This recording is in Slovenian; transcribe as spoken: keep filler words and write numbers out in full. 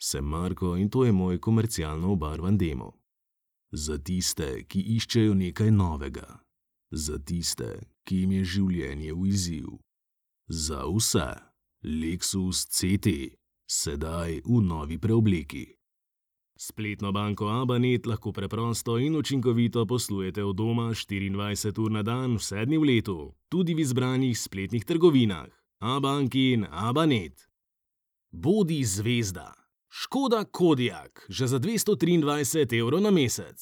Sem Marko in to je moj komercialno obarvan demo. Za tiste, ki iščejo nekaj novega. Za tiste, ki jim je življenje v izziv. Za vse. Lexus C T. Sedaj v novi preobleki. Spletno banko Abanet lahko preprosto in učinkovito poslujete od doma štiriindvajset ur na dan vse dni v letu, tudi v izbranih spletnih trgovinah. Abank in Abanet. Bodi zvezda. Škoda Kodiaq, že za dvesto triindvajset evrov na mesec.